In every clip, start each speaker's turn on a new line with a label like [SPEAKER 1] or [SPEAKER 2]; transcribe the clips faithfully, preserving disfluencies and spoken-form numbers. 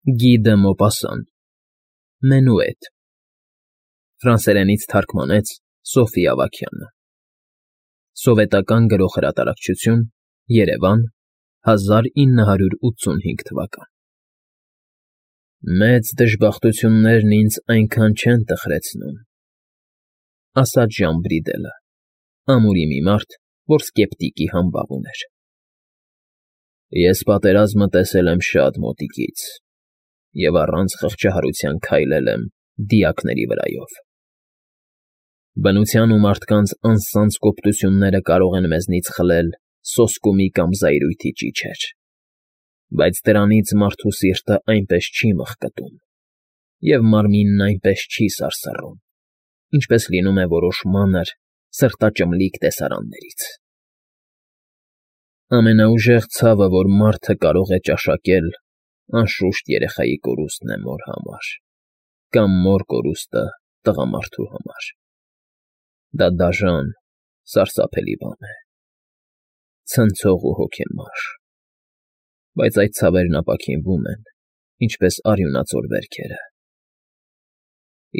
[SPEAKER 1] Գի դը Մոպասան, Մենուետ, ֆրանսերենից թարգմանեց Սոֆի Ավագյանը, Սովետական Գրող Հրատարակչություն, Երևան, հազար ինը հարյուր ութսունհինգ թվական։ Մեծ դժբախտություններն ինձ այնքան չեն տխրեցնում, ասաց Ժան Բրիդելը, ամուրի մի մարդ, որ սկեպտիկի համբավ ուներ։ Ես պատերազմը տեսել եմ շատ մոտիկից և առանց խղճահարության քայլել եմ դիակների վրայով։ Բնության ու մարդկանց անսանձ կոպտությունները կարող են մեզնից խլել սոսկումի կամ զայրույթի ճիչեր, բայց դրանից մարդու սիրտը այնպես չի մխկտում, և մարմինն այնպես չի սարսռում, ինչպես լինում է որոշ մանր, սրտաճմլիկ տեսարաններից։ Ամենաուժեղ ցավը, որ մարդը կարող է ճաշակել, անշուշտ երեխայի կորուստն է մոր համար, կամ մոր կորուստը տղամարդու համար։ Դա դաժան, սարսափելի բան է, ցնցող ու հոգեմար, բայց այդ ցավերն ապաքինվում են, ինչպես արյունածոր վերքերը,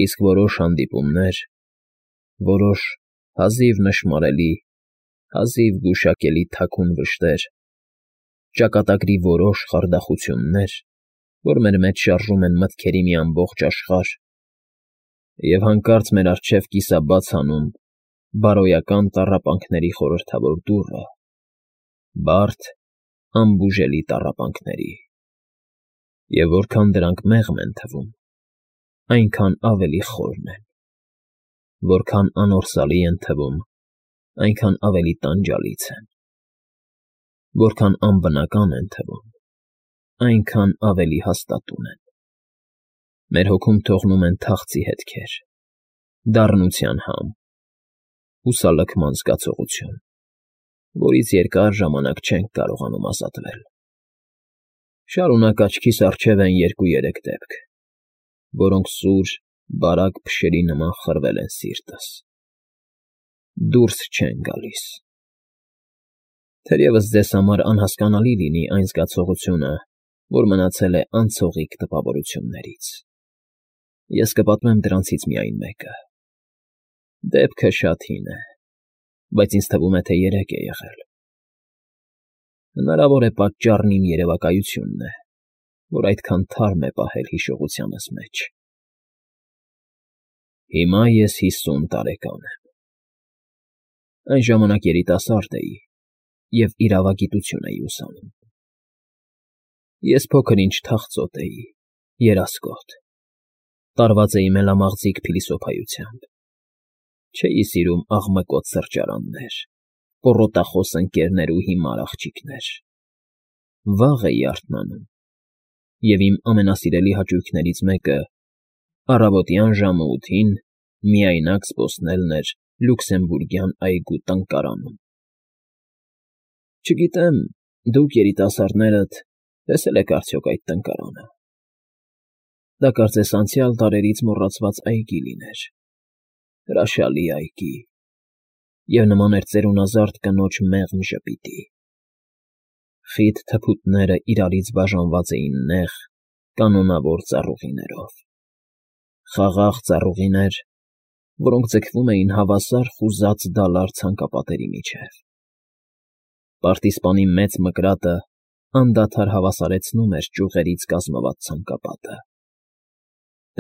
[SPEAKER 1] իսկ որոշ հանդիպումներ, որոշ հազիվ նշմարելի, հազիվ գուշակելի թաքուն վշտեր, ճակատագրի որոշ խարդախություններ, որ մեր մեջ շարժում են մտքերի մի ամբողջ աշխարհ, և հանկարծ մեր առջև կիսաբաց հանում բարոյական տառապանքների խորհրդավոր դուռը, բարդ, անբուժելի տառապանքների, և որքան դրանք մեղմ են թվում, այնքան ավելի խորն են, որքան անորսալի են թվում, այնքան ավելի տանջալից են, որքան անբնական են թվում, այնքան ավելի հաստատուն են, մեր հոգում թողնում են թախծի հետքեր, դառնության համ, հուսալքման զգացողություն, որից երկար ժամանակ չենք կարողանում ազատվել։ Շարունակ աչքիս առջև են երկու֊երեք դեպք, որոնք սուր, բարակ փշերի նման խրվել են սիրտս, դուրս չեն գալիս։ Թերևս ձեզ համար անհասկանալի լինի այն զգացողությունը, որ մնացել է անցողիկ տպավորություններից։ Ես կպատմեմ դրանցից միայն մեկը։ Դեպքը շատ հին է, բայց ինձ թվում է, թե երեկ է եղել։ Հնարավոր է պատճառն իմ երևակայությունն է, որ այդքան թարմ է պահել հիշողությանս մեջ։ Հիմա ես հիսուն տարեկան եմ։ Այն ժամանակ երիտասարդ էի և իրավագիտություն էի ուսանում։ Ես փոքր֊ինչ թախծոտ էի, երասկոտ, տարված էի մելամաղձիկ փիլիսոփայությամբ, չէի սիրում աղմկոտ սրճարաններ, պոռոտախոս ընկերներ ու հիմար աղջիկներ, վաղ էի արթնանում, և իմ ամենասիրելի հաճույքներից մեկը առավոտյան ժամը ութին միայնակ զբոսնելն էր Լյուքսեմբուրգյան այգու տնկարանում։ Չգիտեմ, դուք երիտասարդներդ տեսե՞լ եք արդյոք այդ տնկարանը։ Դա կարծես անցյալ դարերից մոռացված այգի լիներ, հրաշալի այգի, և նման էր ծերունազարդ կնոջ մեղմ ժպիտի։ Խիտ թփուտները իրարից բաժանված էին նեղ, կանոնավոր ծառուղիներով, խաղաղ ծառուղիներ, որոնք ձգվում էին հավասար խուզած դալար ցանկապատերի միջև։ Պարտիզպանի մեծ մկրատը անդադար հավասարեցնում էր ճյուղերից կազմված ցանկապատը։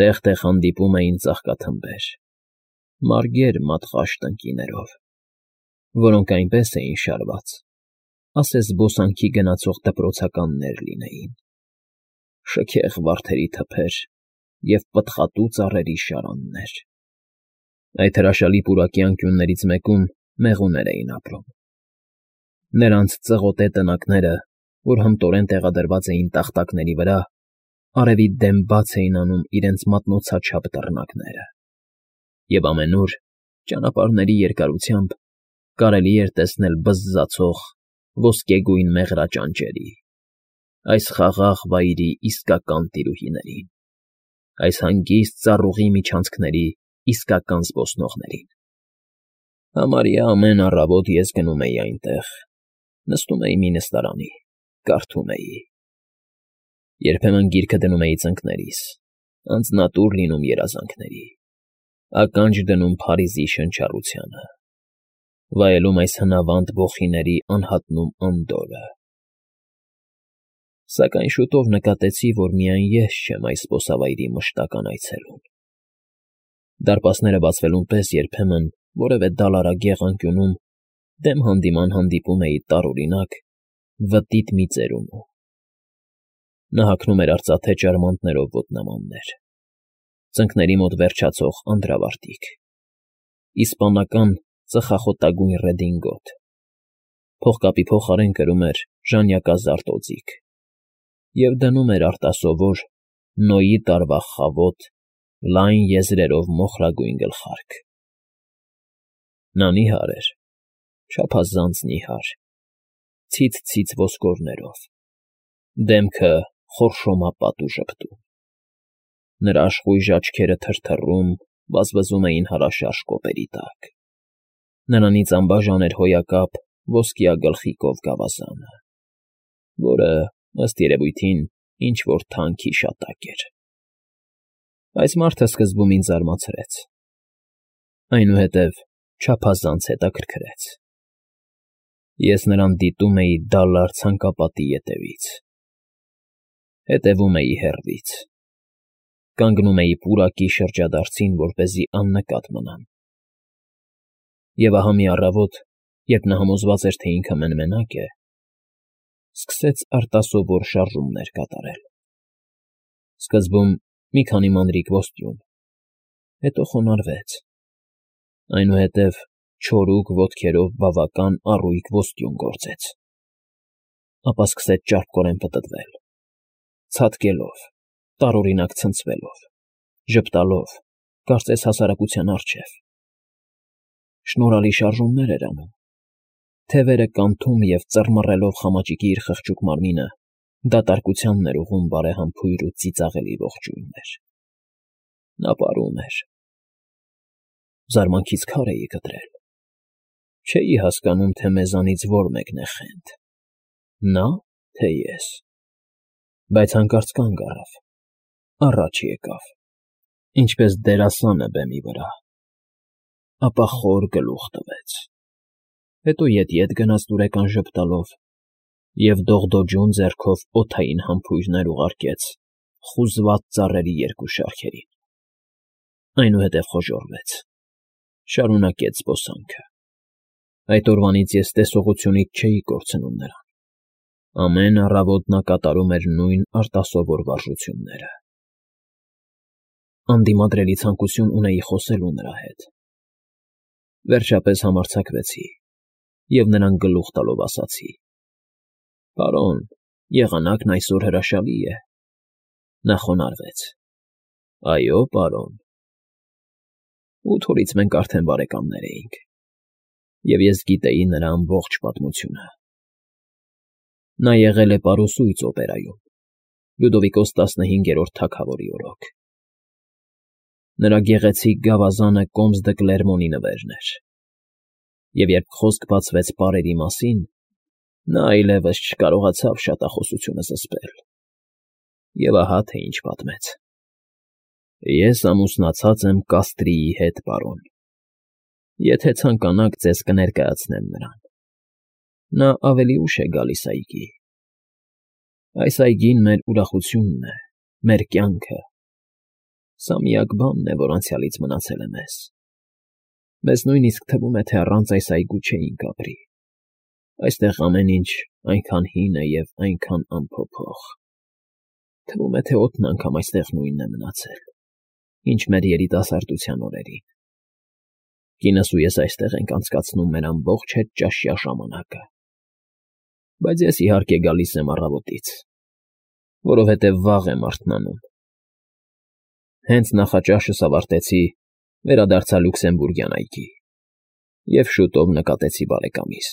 [SPEAKER 1] Տեղ֊տեղ հանդիպում էին ծաղկաթմբեր, մարգեր մատղաշ տնկիներով, որոնք այնպես էին շարված, ասես զբոսանքի գնացող դպրոցականներ լինեին, շքեղ վարդերի թփեր և պտղատու ծառերի շարաններ։ Այդ հրաշալի պուրակի անկյուններից մեկում մեղուներ էին ապրում։ Նրանց ծղոտե տնակները, որ հմտորեն տեղադրված էին տախտակների վրա, արևի դեմ բաց էին անում իրենց մատնոցաչափ դռնակները, և ամենուր, ճանապարհների երկարությամբ, կարելի էր տեսնել բզզացող ոսկեգույն մեղրաճանճերի, այս խաղաղ վայրի իսկական տիրուհիներին, այս հանգիստ ծառուղի միջանցքների իսկական զբոսնողներին։ Համարյա ամեն առավոտ ես գնում էի այնտեղ, նստում էի մի նստարանի, կարդում էի։ Երբեմն գիրքը դնում էի ծնկներիս, անձնատուր լինում երազանքների, ականջ դնում Փարիզի շնչառությանը, վայելում այս հնավանդ ոխիների անհատնում անդորրը։ Սակայն շուտով նկատեցի, որ միայն ես չեմ այս զբոսավայրի մշտական այցելուն։ Դարպասները բացվելուն պես երբեմն որևէ դալարագեղ անկյունում դեմ հանդիման հանդիպում էի տարօրինակ, վտիտ մի ծերունու։ Նա հագնում էր արծաթե ճարմանտներով ոտնամաններ, ծնկների մոտ վերջացող անդրավարտիք, իսպանական ծխախոտագույն ռեդինգոտ, փողկապի փոխարեն կրում էր ժանյակազարդ օձիք և դնում էր արտասովոր, Նոյի տարվա խավոտ, լայն եզրերով մոխրագույն գլխարկ։ Նա նիհար էր, չափազանց նիհար, ցից֊ցից ոսկորներով, դեմքը խորշոմապատ ու ժպտուն։ Նրա աշխույժ աչքերը թրթռում, վազվզում էին հարաշարժ կոպերի տակ։ Նրանից անբաժան էր հոյակապ ոսկյա գլխիկով գավազանը, որը, ըստ երևույթին, ինչ֊որ թանկ հիշատակ էր։ Այս մարդը սկզբում ինձ զարմացրեց, այնուհետև չափազանց հետաքրքրեց։ Ես նրան դիտում էի դալար ցանկապատի ետևից, հետևում էի հեռվից, կանգնում էի պուրակի շրջադարձին, որպեսզի աննկատ մնամ։ Եվ ահա մի առավոտ, երբ նա համոզված էր, թե ինքը մեն֊մենակ է, սկսեց արտասովոր շարժումներ կատարել։ Սկզբում մի քանի մանրիկ ոստյուն, հետո խոնարհվեց, այնուհետև չորուկ ոտքերով բավական առույգ ոստյուն գործեց, ապա սկսեց ճարպկորեն պտտվել, ցատկելով, տարօրինակ ցնցվելով, ժպտալով, կարծես հասարակության առջև։ Շնորհալի շարժումներ էր անում, թևերը կանթում և ծռմռելով խամաճիկի իր խղճուկ մարմինը, դատարկությանն էր ուղղում բարեհամբույր ու ծիծաղելի ողջույններ։ Նա պարում էր։ Զարմանքից քար էի կտրել։ Չէի հասկանում, թե մեզանից որ մեկն է խենթ՝ նա, թե ես։ Բայց հանկարծ կանգ առավ, առաջ եկավ, ինչպես դերասանը բեմի վրա, ապա խոր գլուխ տվեց, հետո ետ֊ետ գնաց դուրեկան ժպտալով և դողդոջուն ձեռքով օդային համբույրներ ուղարկեց խուզված ծառերի երկու շարքերին, այնուհետև խոժոռվեց, շարունակեց զբոսանքը։ Այդ օրվանից ես տեսողությունից չէի կորցնում նրան։ Ամեն առավոտ նա կատարում էր նույն արտասովոր վարժությունները։ Անդիմադրելի ցանկություն ունեի խոսելու նրա հետ։ Վերջապես համարձակվեցի և նրան գլուխ տալով ասացի. «Պարոն, եղանակն այսօր հրաշալի է»։ Նա խոնարհվեց. «Այո, պարոն»։ Ութ օրից մենք արդեն բարեկամներ էինք, և ես գիտեի նրա ամբողջ պատմությունը։ Նա եղել է պարուսույց օպերայում, Լյուդովիկոս տասնհինգերորդ թագավորի օրոք։ Նրա գեղեցիկ գավազանը Կոմս դը Կլերմոնի նվերն էր, և երբ խոսք բացվեց պարերի մասին, նա այլևս չկարողացավ շատախոսությունը զսպել, և ահա թե ինչ պատմեց. «Ես ամուսնացած եմ Կաստրիի հետ, պարոն. եթե ցանկանաք, ձեզ կներկայացնեմ նրան. նա ավելի ուշ է գալիս այգի։ Այս այգին մեր ուրախությունն է, մեր կյանքը, սա միակ բանն է, որ անցյալից մնացել է մեզ։ Մեզ նույնիսկ թվում է, թե առանց այս այգու չէինք ապրի։ Այստեղ ամեն ինչ այնքան հին է և այնքան անփոփոխ։ Թվում է, թե օդն անգամ այստեղ նույնն է մնացել, ինչ մեր երիտասարդության օրերին։ Կինս ու ես այստեղ ենք անցկացնում մեր ամբողջ հետճաշյա ժամանակը։ Բայց ես, իհարկե, գալիս եմ առավոտից, որովհետև վաղ եմ արթնանում։ Հենց նախաճաշս ավարտեցի, վերադարձա Լյուքսեմբուրգյան այգի և շուտով նկատեցի բարեկամիս։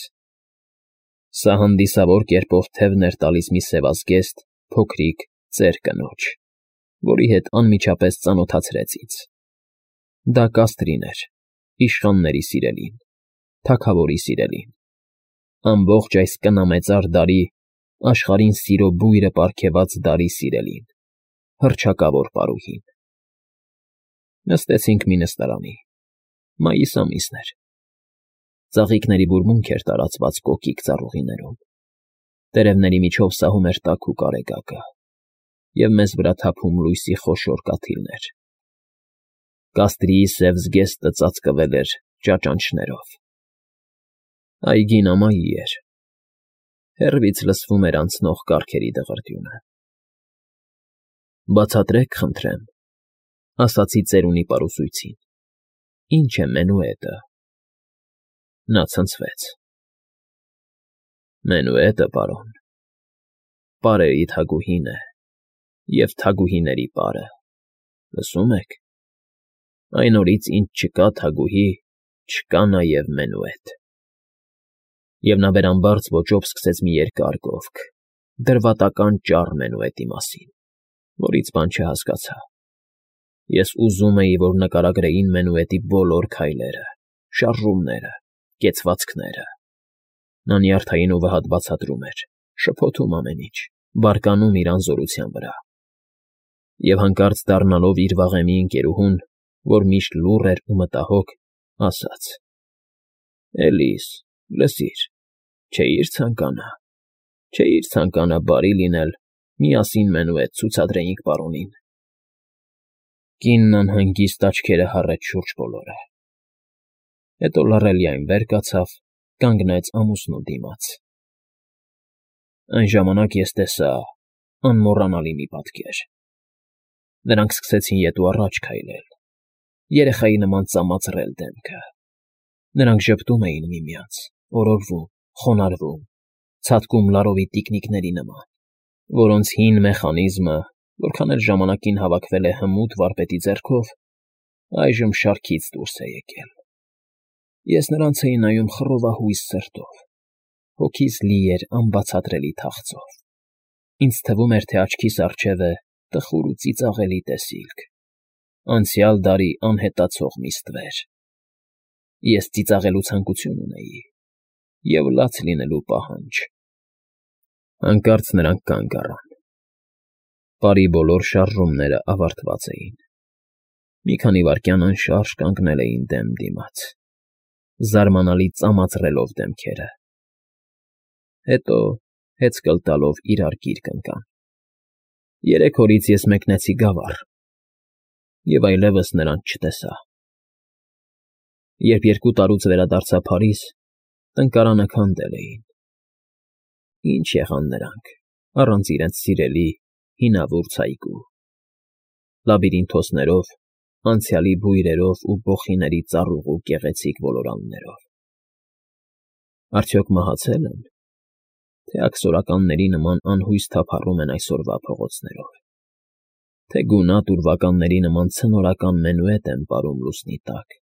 [SPEAKER 1] Սա հանդիսավոր կերպով թևն էր տալիս մի սևազգեստ, փոքրիկ ծեր կնոջ, որի հետ անմիջապես ծանոթացրեց ինձ։ Դա Կաստրին էր, իշխանների սիրելին, թագավորի սիրելին։ Ամբողջ այս կնամեծար դարի Աշխարհին սիրո բույրը պարգևած դարի սիրելին, հռչակավոր պարուհին։ Նստեցինք մի նստարանի, մայիս ամիսն էր, ծաղիկների բուրմունք էր տարածված կոկիկ ծառուղիներում, տերևների միջով սահում էր տաքուկ արեգակը և մեզ վրա թափում լույսի խոշոր կաթիլներ։ Կաստրիի սև զգեստը ծածկվել էր ճաճանճներով։ Այգին ամայի էր, հեռվից լսվում էր անցնող կառքերի դղրդյունը։ Բացատրեք, խնդրեմ, ասացի ծերունի պարուսույցին, ի՞նչ է մենուետը։ Նա ցնցվեց։ Մենուետը, պարոն, պարերի թագուհին է և թագուհիների պարը, լսում եք, այն օրից, ինչ չկա թագուհի, չկա նաև մենուետ։ Եվ նա վերամբարձ ոճով սկսեց մի երկար գովք, դրվատական ճառ մենուետի մասին, որից բան չհասկացա։ Ես ուզում էի, որ նկարագրեին մենուետի բոլոր քայլերը, շարժումները, կեցվածքները։ Նա նյարդային ուղը հատ բացատրում էր, շփոթում ամեն ինչ, բարկանում իր անզորության վրա։ Եվ հանկարծ դառնալով իր վաղեմի ընկերուհուն, որ միշտ լուռ էր ու մտահոգ, ասաց. Էլիս, լսիր, չէի՞ր ցանկանա, չէի՞ր ցանկանա բարի լինել, միասին մենուետ ցուցադրեինք պարոնին։ Կինն անհանգիստ աչքերը հառեց շուրջ բոլորը։ Հետո լռելիայն վեր կացավ, կանգնեց ամուսնու դիմաց։ Այն ժամանակ ես տեսա անմոռանալի մի պատկեր։ Նրանք սկսեցին ետ ու առաջ քայլել, երեխայի նման ծամածռել դեմքը։ Նրանք ժպտում էին միմյանց, օրորվում, խոնարհվում, ցատկում լարովի տիկնիկների նման, որոնց հին մեխանիզմը, որքան էլ ժամանակին հավաքվել է հմուտ վարպետի ձեռքով, այժմ շարքից դուրս է եկել։ Ես նրանց էի նայում խռովահույս սրտով, հոգիս լի էր անբացատրելի թախծով։ Ինձ թվում էր, թե աչքիս առջև է տխուր ու ծիծաղելի տեսիլք, անցյալ դարի անհետացող մի ստվեր։ Ես ծիծաղելու ցանկություն ունեի և լաց լինելու պահանջ։ Հանկարծ նրանք կանգ առան։ Պարի բոլոր շարժումները ավարտված էին։ Մի քանի վայրկյան անշարժ կանգնել էին դեմ դիմաց, զարմանալի ծամածռելով դեմքերը։ Հետո, հեծկլ տալով իրար գիրկ ընկան։ Երեք օրից ես մեկնեցի Գավառ և այլևս նրանց չտեսա։ Երբ երկու տարուց վերադարձա Փարիզ, տնկարանը քանդել էին։ Ի՞նչ եղան նրանք, առանց իրենց սիրելի, հինավուրց այգու, լաբիրինթոսներով, անցյալի բույրերով ու բոխիների ծառուղու գեղեցիկ ոլորաններով։ Արդյոք մահացե՞լ են, թե աքսորականների նման անհույս թափառում են այսօրվա փողոցներով, թե գունատ ուրվականների նման ցնորական մենուետ են պարում լուսնի տակ,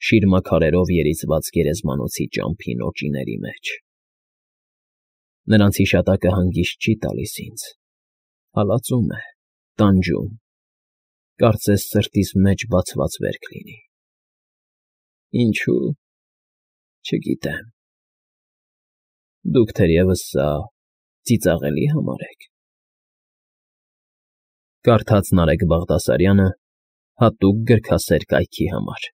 [SPEAKER 1] շիրմաքարերով երիզված գերեզմանոցի ճամփի նոճիների մեջ։ Նրանց հիշատակը հանգիստ չի տալիս ինձ, հալածում է, տանջում, կարծես սրտիս մեջ բացված վերք լինի։ Ինչո՞ւ, չգիտեմ։ Դուք թերևս սա ծիծաղելի համարեք։ Կարդաց Նարեկ Բաղդասարյանը հատուկ գրքասեր կայքի համար։